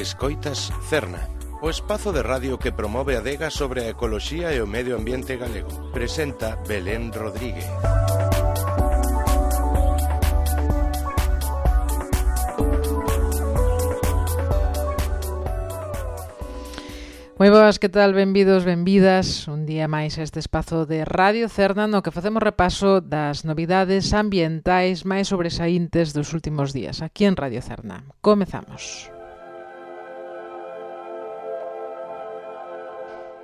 Escoitas Cerna, o espazo de radio que promove a adega sobre a ecoloxía e o medio ambiente galego. Presenta Belén Rodríguez. Moi boas, que tal? Benvidos, benvidas un día máis a este espazo de Radio Cerna no que facemos repaso das novidades ambientais máis sobresaíntes dos últimos días aquí en Radio Cerna. Comezamos.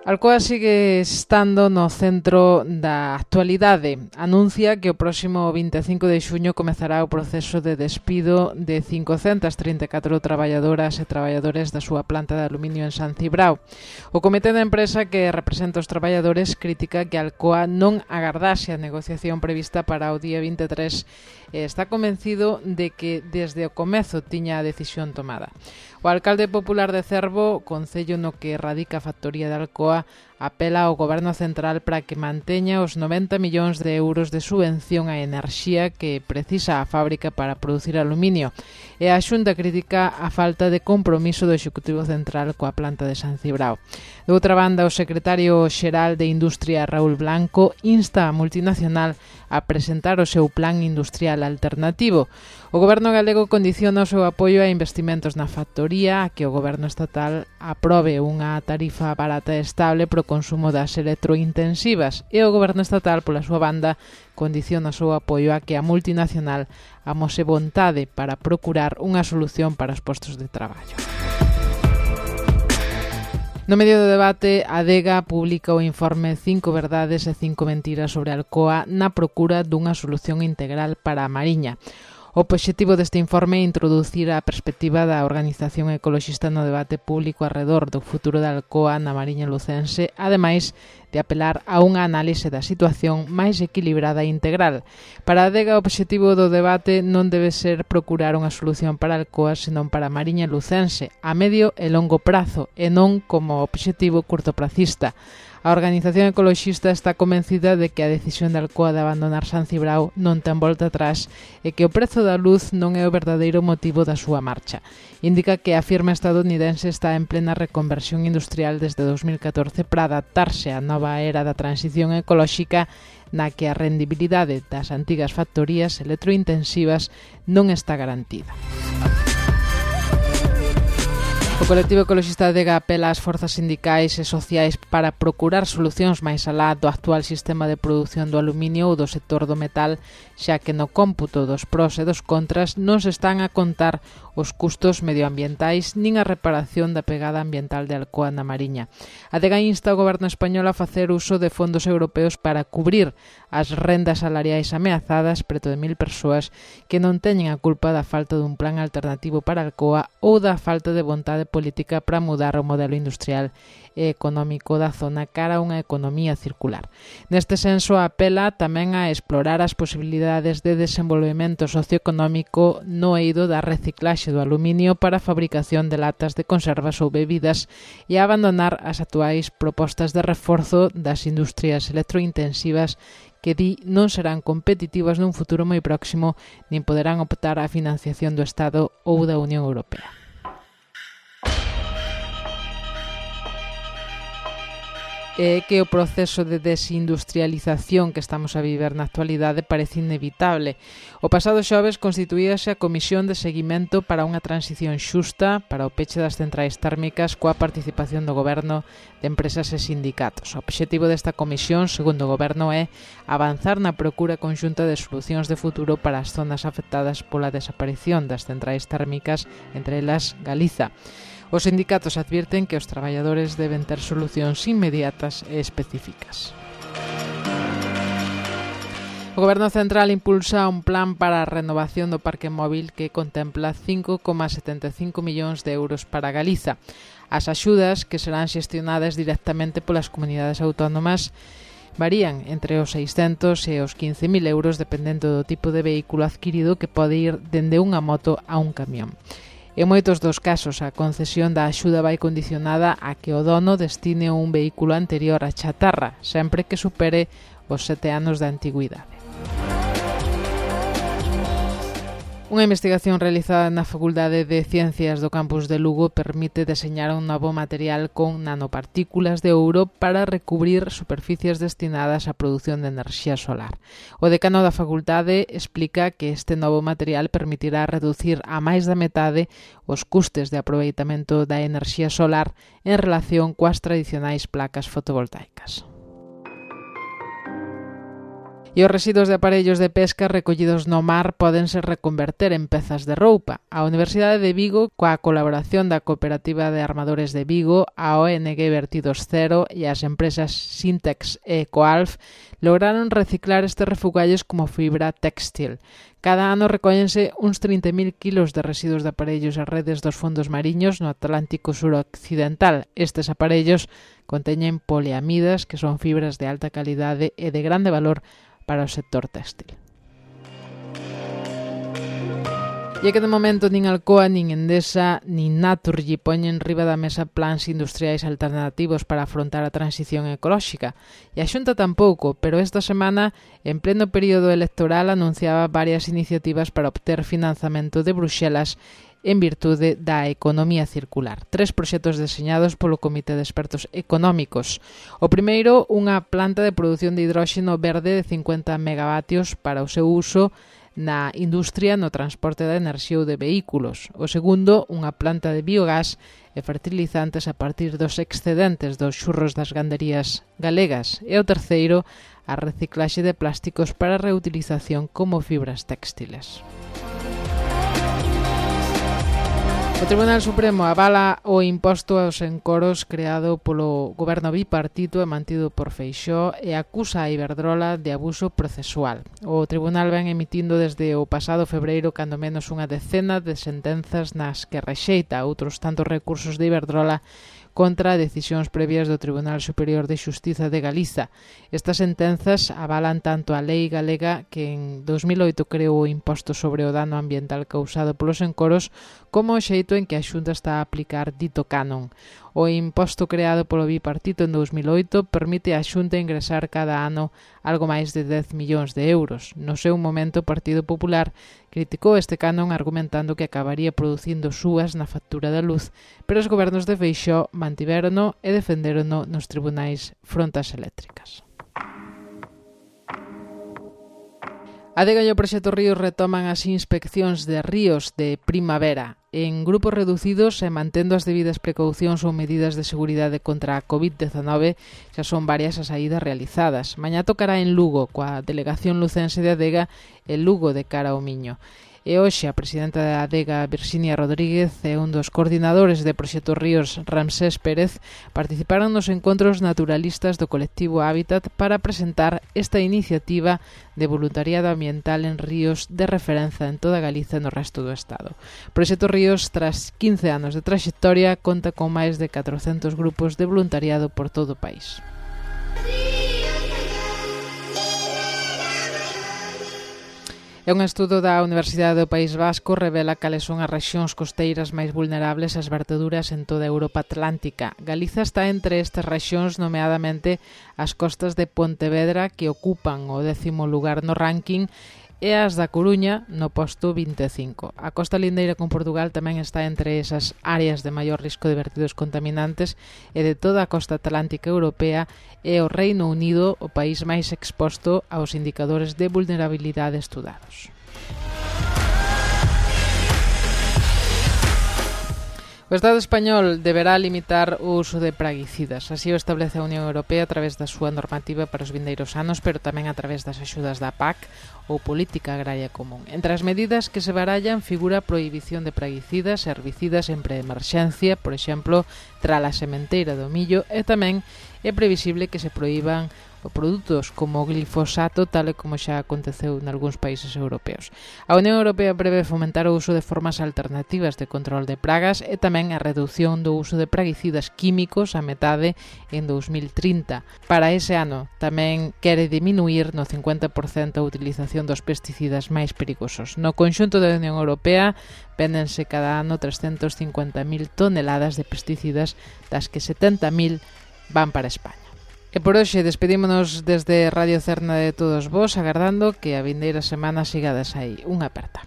Alcoa sigue estando no centro da actualidade. Anuncia que o próximo 25 de xuño comezará o proceso de despido de 534 traballadoras e traballadores da súa planta de aluminio en San Cibrao. O comité da empresa que representa os traballadores critica que Alcoa non agardase a negociación prevista para o día 23 e está convencido de que desde o comezo tiña a decisión tomada. O alcalde popular de Cervo, concello no que radica a factoría de Alcoa, apela ao Goberno Central para que manteña os 90 millóns de euros de subvención á enerxía que precisa a fábrica para producir aluminio. E a Xunta critica a falta de compromiso do Executivo Central coa planta de San Cibrao. De outra banda, o secretario xeral de Industria, Raúl Blanco, insta a multinacional a presentar o seu plan industrial alternativo. O Goberno galego condiciona o seu apoio a investimentos na factoría a que o Goberno estatal aprobe unha tarifa barata e estable pro consumo das electrointensivas e o Goberno estatal, pola súa banda, condiciona o seu apoio a que a multinacional amose vontade para procurar unha solución para os postos de traballo. No medio do debate, a Adega publica o informe 5 verdades e 5 mentiras sobre Alcoa na procura dunha solución integral para a Mariña. O obxectivo deste informe é introducir a perspectiva da organización ecoloxista no debate público arredor do futuro da Alcoa na Mariña lucense, ademais de apelar a unha análise da situación máis equilibrada e integral. Para a Adega, o obxectivo do debate non debe ser procurar unha solución para Alcoa, senón para a Mariña lucense, a medio e longo prazo, e non como obxectivo curtopracista. A organización ecoloxista está convencida de que a decisión de Alcoa de abandonar San Cibrao non ten volta atrás e que o prezo da luz non é o verdadeiro motivo da súa marcha. Indica que a firma estadounidense está en plena reconversión industrial desde 2014 para adaptarse á nova era da transición ecolóxica na que a rendibilidade das antigas factorías electrointensivas non está garantida. O colectivo ecoloxista Adega apela ás forzas sindicais e sociais para procurar solucións máis alá do actual sistema de produción do aluminio ou do sector do metal, xa que no cómputo dos pros e dos contras non se están a contar os custos medioambientais nin a reparación da pegada ambiental de Alcoa na Mariña. Adega insta ao Goberno español a facer uso de fondos europeos para cubrir as rendas salariais ameazadas preto de 1000 persoas que non teñen a culpa da falta dun plan alternativo para Alcoa ou da falta de vontade política para mudar o modelo industrial e económico da zona cara a unha economía circular. Neste senso, apela tamén a explorar as posibilidades de desenvolvemento socioeconómico no eido da reciclaxe do aluminio para a fabricación de latas de conservas ou bebidas e a abandonar as actuais propostas de reforzo das industrias electrointensivas que di non serán competitivas nun futuro moi próximo nin poderán optar á financiación do Estado ou da Unión Europea. É que o proceso de desindustrialización que estamos a viver na actualidade parece inevitable. O pasado xoves constituíase a Comisión de Seguimento para unha transición xusta para o peche das centrais térmicas coa participación do Goberno, de empresas e sindicatos. O obxectivo desta comisión, segundo o Goberno, é avanzar na procura conxunta de solucións de futuro para as zonas afectadas pola desaparición das centrais térmicas, entre elas Galiza. Os sindicatos advirten que os traballadores deben ter solucións inmediatas e específicas. O Goberno Central impulsa un plan para a renovación do parque móvil que contempla 5,75 millóns de euros para Galiza. As axudas, que serán xestionadas directamente polas comunidades autónomas, varían entre os 600 e os 15.000 euros dependendo do tipo de vehículo adquirido, que pode ir dende unha moto a un camión. En moitos dos casos, a concesión da axuda vai condicionada a que o dono destine un vehículo anterior a chatarra, sempre que supere os 7 anos de antigüidade. Unha investigación realizada na Facultade de Ciencias do campus de Lugo permite deseñar un novo material con nanopartículas de ouro para recubrir superficies destinadas á produción de enerxía solar. O decano da facultade explica que este novo material permitirá reducir a máis da metade os custes de aproveitamento da enerxía solar en relación coas tradicionais placas fotovoltaicas. E os residuos de aparellos de pesca recollidos no mar pódense reconverter en pezas de roupa. A Universidade de Vigo, coa colaboración da Cooperativa de Armadores de Vigo, a ONG Vertidos Cero e as empresas Sintex e Ecoalf, lograron reciclar estes refugallos como fibra téxtil. Cada ano recóllense uns 30.000 kilos de residuos de aparellos e redes dos fondos mariños no Atlántico suroccidental. Estes aparellos conteñen poliamidas, que son fibras de alta calidade e de grande valor para o sector téxtil. E que de momento nin Alcoa, nin Endesa, nin Naturgy poñen riba da mesa plans industriais alternativos para afrontar a transición ecolóxica. E a Xunta tampouco, pero esta semana, en pleno período electoral, anunciaba varias iniciativas para obter financiamento de Bruxelas en virtude da economía circular. 3 proxectos deseñados polo Comité de Expertos Económicos. O primeiro, unha planta de produción de hidróxeno verde de 50 megavatios para o seu uso na industria no transporte da enerxía ou de vehículos. O segundo, unha planta de biogás e fertilizantes a partir dos excedentes dos xurros das ganderías galegas. E o terceiro, a reciclaxe de plásticos para reutilización como fibras téxtiles. O Tribunal Supremo avala o imposto aos encoros creado polo goberno bipartito e mantido por Feixóo e acusa a Iberdrola de abuso procesual. O Tribunal ven emitindo desde o pasado febreiro cando menos unha decena de sentenzas nas que rexeita outros tantos recursos de Iberdrola contra decisións previas do Tribunal Superior de Xustiza de Galiza. Estas sentenzas avalan tanto a lei galega que en 2008 creou o imposto sobre o dano ambiental causado polos encoros como o xeito en que a Xunta está a aplicar dito canon. O imposto creado polo bipartito en 2008 permite á Xunta ingresar cada ano algo máis de 10 millóns de euros. No seu momento, o Partido Popular criticou este canon argumentando que acabaría producindo súas na factura da luz, pero os gobernos de Feixóo mantivérono e defendérono nos tribunais frontas eléctricas. A Adega e o Proxecto Ríos retoman as inspeccións de ríos de primavera en grupos reducidos e mantendo as debidas precaucións ou medidas de seguridade contra a COVID-19. Xa son varias as saídas realizadas. Mañá tocará en Lugo, coa delegación lucense de Adega e Lugo de cara ao Miño. E hoxe a presidenta da Adega, Virxinia Rodríguez, e un dos coordinadores de Proxecto Ríos, Ramsés Pérez, participaron nos encontros naturalistas do colectivo Hábitat para presentar esta iniciativa de voluntariado ambiental en ríos de referencia en toda Galiza e no resto do Estado. Proxecto Ríos, tras 15 anos de traxectoria, conta con máis de 400 grupos de voluntariado por todo o país. E un estudo da Universidade do País Vasco revela cales son as rexións costeiras máis vulnerables ás verteduras en toda a Europa Atlántica. Galiza está entre estas rexións, nomeadamente as costas de Pontevedra, que ocupan o 10º lugar no ranking, e as da Coruña no posto 25. A costa lindeira con Portugal tamén está entre esas áreas de maior risco de vertidos contaminantes e de toda a costa atlántica europea, e o Reino Unido o país máis exposto aos indicadores de vulnerabilidade estudados. O Estado español deberá limitar o uso de praguicidas. Así o establece a Unión Europea a través da súa normativa para os vindeiros anos, pero tamén a través das axudas da PAC ou Política Agraria Común. Entre as medidas que se barallan figura a prohibición de praguicidas e herbicidas en preemerxencia, por exemplo, trala sementeira do millo, e tamén é previsible que se proíban produtos como o glifosato, tal e como xa aconteceu nalgúns países europeos. A Unión Europea prevé fomentar o uso de formas alternativas de control de pragas e tamén a reducción do uso de praguicidas químicos a metade en 2030. Para ese ano tamén quere diminuir no 50% a utilización dos pesticidas máis perigosos. No conxunto da Unión Europea véndense cada ano 350.000 toneladas de pesticidas, das que 70.000 van para España. E por hoxe despedímonos desde Radio Cerna de todos vos, agardando que a vindeira semana sigades aí. Unha aperta.